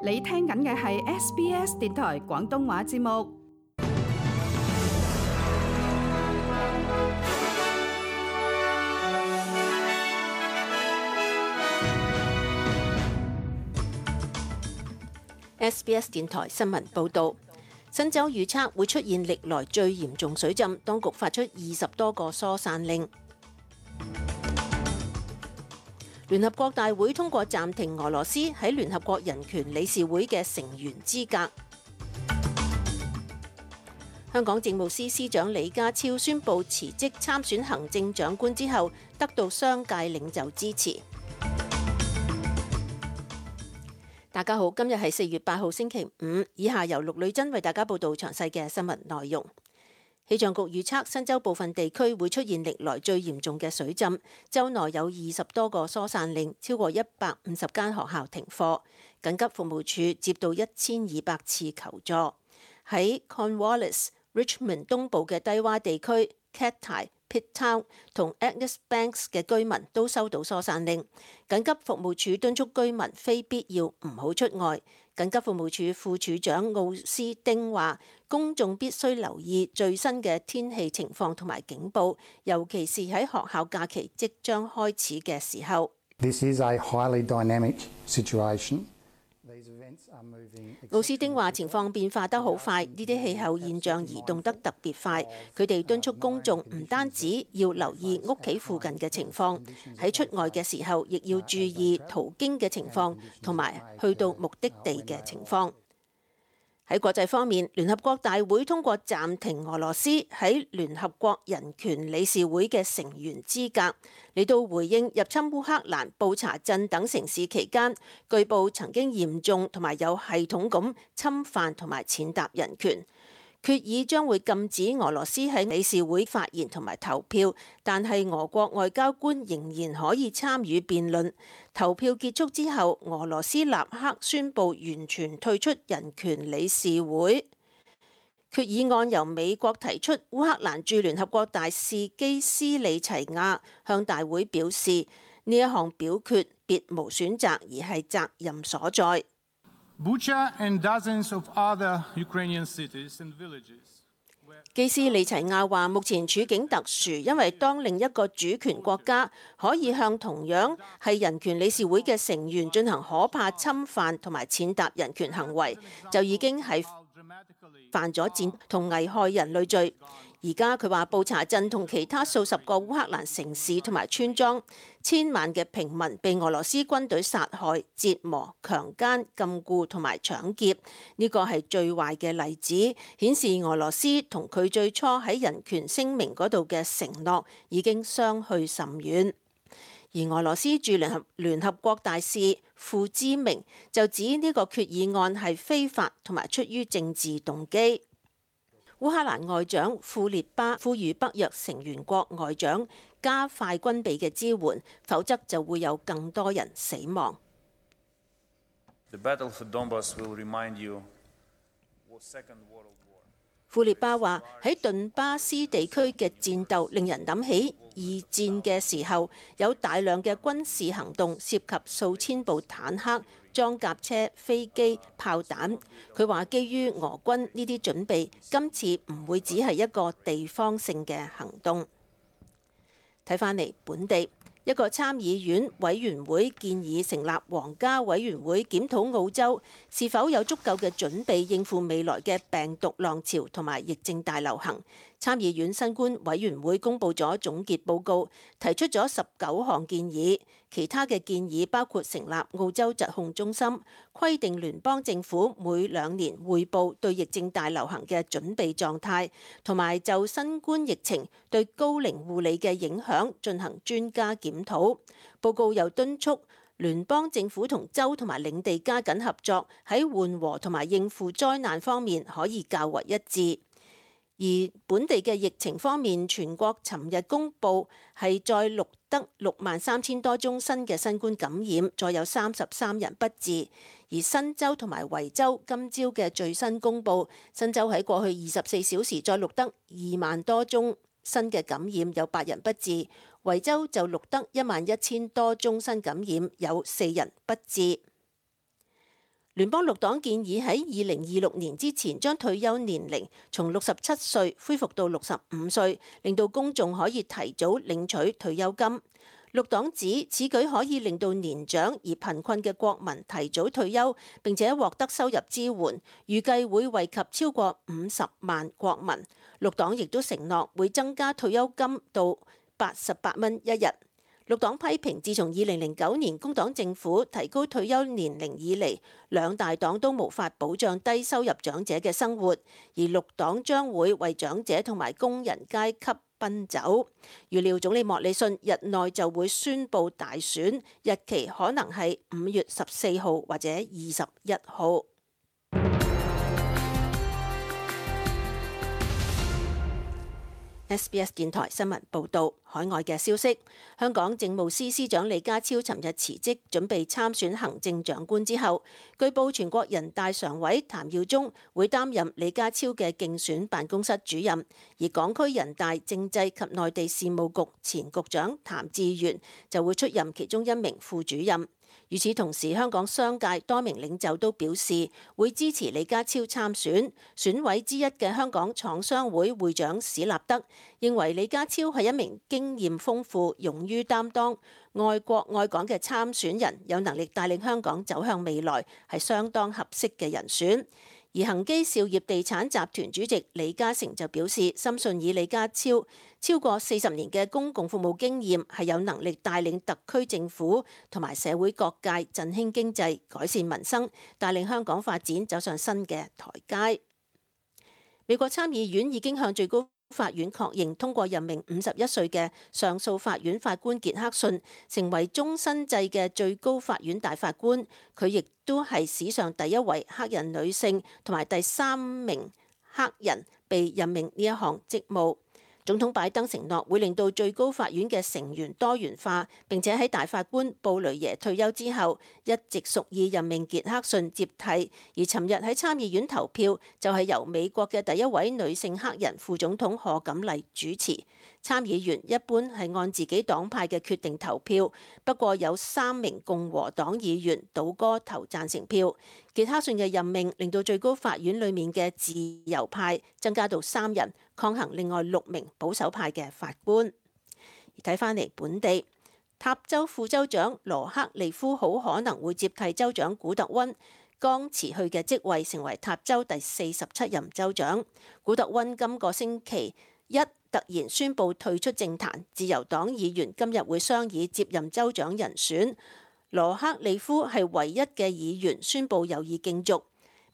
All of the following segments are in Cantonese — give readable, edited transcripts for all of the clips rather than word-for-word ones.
你聽緊嘅係 SBS 電台廣東話節目。SBS 電台新聞報導，新州預測會出現歷來最嚴重水浸，當局發出20多個疏散令。聯合國大會通過暫停俄羅斯喺聯合國人權理事會嘅成員資格。香港政務司司長李家超宣布辭職參選行政長官之後，得到商界領袖支持。大家好，今日係4月8號星期五，以下由陸女珍為大家報道詳細嘅新聞內容。氣象局預測新州部分地區會出現歷來最嚴重嘅水浸，州內有20多個疏散令，超過150間學校停課。緊急服務處接到1200次求助。喺 Cornwallis、Richmond 東部嘅低洼地區 Cattai、Pitt Town 同 Agnes Banks 嘅居民都收到疏散令。緊急服務處敦促居民非必要唔好出外。緊急服務處副處長奧斯丁話，公眾必須留意最新嘅天氣情況同埋警報，尤其是喺學校假期即將開始嘅時候。This is a highly dynamic situation. 奧斯丁話：情況變化得好快，呢啲氣候現象移動得特別快。佢哋敦促公眾唔單止要留意屋企附近嘅情況，喺出外嘅時候亦要注意途經嘅情況，同埋去到目的地嘅情況。喺國際方面，聯合國大會通過暫停俄羅斯喺聯合國人權理事會嘅成員資格，嚟到回應入侵烏克蘭、布查鎮等城市期間，據報曾經嚴重同埋有系統咁侵犯同埋踐踏人權。決議將會禁止俄羅斯喺理事會發言同埋投票，但係俄國外交官仍然可以參與辯論。投票結束之後，俄羅斯立刻宣布完全退出人權理事會。決議案由美國提出，烏克蘭駐聯合國大使基斯里齊亞向大會表示，呢一項表決別無選擇，而係責任所在。Bucha and dozens of other Ukrainian cities and villages. 基斯里齊亞話：目前處境特殊，因為當另一個主權國家可以向同樣係人權理事會嘅成員進行可怕侵犯同埋踐踏人權行為，就已經係犯咗戰同危害人類罪。而家佢話布查鎮同其他數十個烏克蘭城市同埋村莊，千萬嘅平民被俄羅斯軍隊殺害、折磨、強姦、禁錮同埋搶劫。呢個係最壞嘅例子，顯示俄羅斯同佢最初喺人權聲明嗰度嘅承諾已經相去甚遠。而俄羅斯駐聯合國大使傅之明就指呢個決議案係非法同埋出於政治動機。烏克蘭外長庫列巴呼籲北約成員國外長加快軍備嘅支援，否則就會有更多人死亡。庫列巴話：喺頓巴斯地區嘅戰鬥令人諗起二戰嘅時候，有大量嘅軍事行動，涉及數千部坦克、裝甲車、飛機、炮彈。佢話基於俄軍呢啲準備，今次唔會只係一個地方性嘅行動。睇返嚟本地，一個參議院委員會建議成立皇家委員會檢討澳洲是否有足夠嘅準備應付未來嘅病毒浪潮同埋疫症大流行。參議院新冠委員會公布咗總結報告，提出咗19項建議。其他嘅建議包括成立澳洲疾控中心，規定聯邦政府每2年匯報對疫症大流行嘅準備狀態，同埋就新冠疫情對高齡護理嘅影響進行專家檢討。報告又敦促聯邦政府同州同埋領地加緊合作，喺緩和同埋應付災難方面可以較為一致。而本地嘅疫情方面，全國尋日公布係再錄得63000多宗新嘅新冠感染，再有33人不治。而新州同埋維州今朝嘅最新公布，新州喺過去24小時再錄得2萬多宗新嘅感染，有8人不治。維州就錄得11000多宗新感染，有4人不治。聯邦綠黨建議喺2026年之前將退休年齡從67歲恢復到65歲，令到公眾可以提早領取退休金。綠黨指此舉可以令到年長而貧困嘅國民提早退休，並且獲得收入支援，預計會惠及超過50萬國民。綠黨亦都承諾會增加退休金到88蚊一日。綠黨批評，自從2009年工黨政府提高退休年齡以嚟，兩大黨都無法保障低收入長者嘅生活，而綠黨將會為長者同埋工人階級奔走。預料總理莫里遜日內就會宣布大選，日期可能係5月14號或者21號。SBS 電台新聞報導，海外嘅消息，香港政務司司長李家超尋日辭職，準備參選行政長官之後，據報全國人大常委譚耀宗會擔任李家超嘅競選辦公室主任，而港區人大政制及內地事務局前局長譚志源就會出任其中一名副主任。與此同時，香港商界多名領袖都表示會支持李家超參選。選委之一嘅香港廠商會會長史立德認為李家超係一名經驗豐富、勇於擔當、愛國愛港嘅參選人，有能力帶領香港走向未來，係相當合適嘅人選。而恒基兆業地產集團主席李嘉誠就表示，深信以李家超過40年嘅公共服務經驗，係有能力帶領特區政府同埋社會各界振興經濟、改善民生，帶領香港發展走上新嘅台階。美國參議院已經向最高法院確認通過任命51歲嘅上訴法院法官傑克遜成為終身制嘅最高法院大法官，佢亦都係史上第一位黑人女性同埋第3名黑人被任命呢一項職務。總統拜登承諾會令到最高法院嘅成員多元化，並且喺大法官布雷耶退休之後，一直屬意任命傑克遜接替。而尋日喺參議院投票就係由美國嘅第一位女性黑人副總統賀錦麗主持。參議員一般係按自己黨派嘅決定投票，不過有3名共和黨議員倒戈投贊成票。傑克遜嘅任命令到最高法院裡面嘅自由派增加到3人，抗衡另外6名保守派嘅法官。而睇返嚟本地，塔州副州長羅克利夫好可能會接替州長古特溫剛辭去嘅職位，成為塔州第47任州長。古特溫今個星期一突然宣布退出政壇，自由黨議員今日會商議接任州長人選。羅克利夫係唯一嘅議員宣布有意競逐。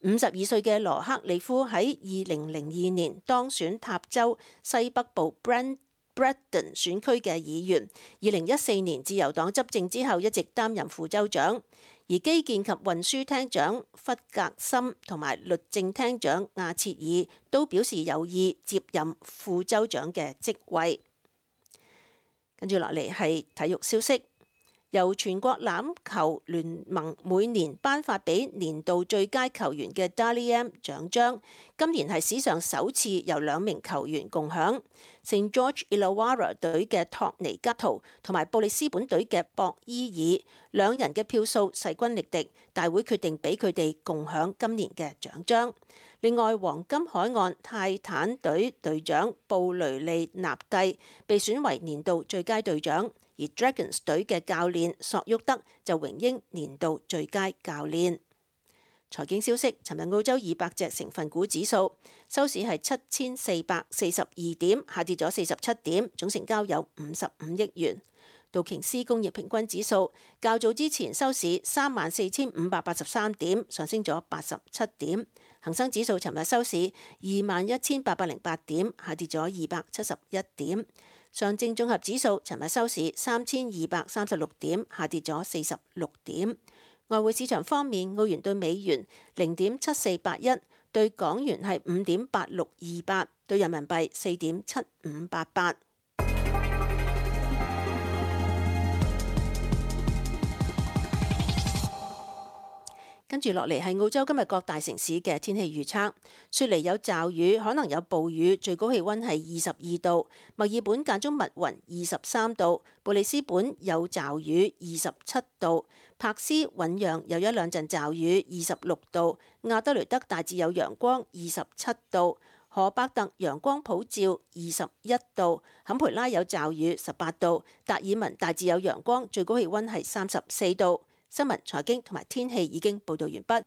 52歲嘅羅克利夫喺2002年當選塔州西北部 Brandon 選區嘅議員。2014年自由黨執政之後，一直擔任副州長。而基建及運輸廳長弗格森同埋律政廳長亞切爾都表示有意接任副州長嘅職位。跟住落嚟係體育消息。由全國欖球聯盟每年頒發俾年度最佳球員嘅 Dally M 獎章，今年係史上首次由2名球員共享。St George Illawarra 隊嘅托尼吉圖同埋布里斯本隊嘅博伊爾，兩人嘅票數勢均力敵，大會決定俾佢哋共享今年嘅獎章。另外，黃金海岸泰坦隊隊長布雷利納蒂被選為年度最佳隊長。而 Dragons 隊嘅教練索沃德就榮膺年度最佳教練。財經消息，尋日澳洲200隻成分股指數收市係7442點，下跌咗47點，總成交有55億元。道瓊斯工業平均指數較早之前收市34583點，上升咗87點。恒生指數尋日收市21808點，下跌咗271點。上證綜合指數尋日收市3236點，下跌咗46點。外匯市場方面，澳元對美元0.7481，對港元係5.8628，對人民幣4.7588。跟住落嚟係澳洲今日各大城市嘅天氣預測。雪梨有驟雨，可能有暴雨，最高氣溫係22度。墨爾本間中密雲，23度。布里斯本有驟雨，27度。柏斯韋揚有一兩陣驟雨，26度。亞德雷德大致有陽光，27度。荷伯特陽光普照，21度。坎培拉有驟雨，18度。達爾文大致有陽光，最高氣溫係34度。新聞、財經同埋天氣已經報道完畢。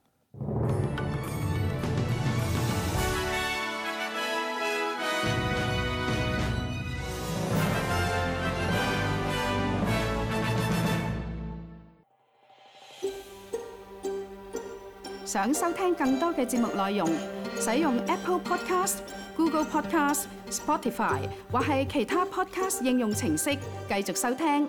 想收聽更多嘅節目內容，使用 Apple Podcast、Google Podcast、Spotify 或係其他 Podcast 應用程式繼續收聽。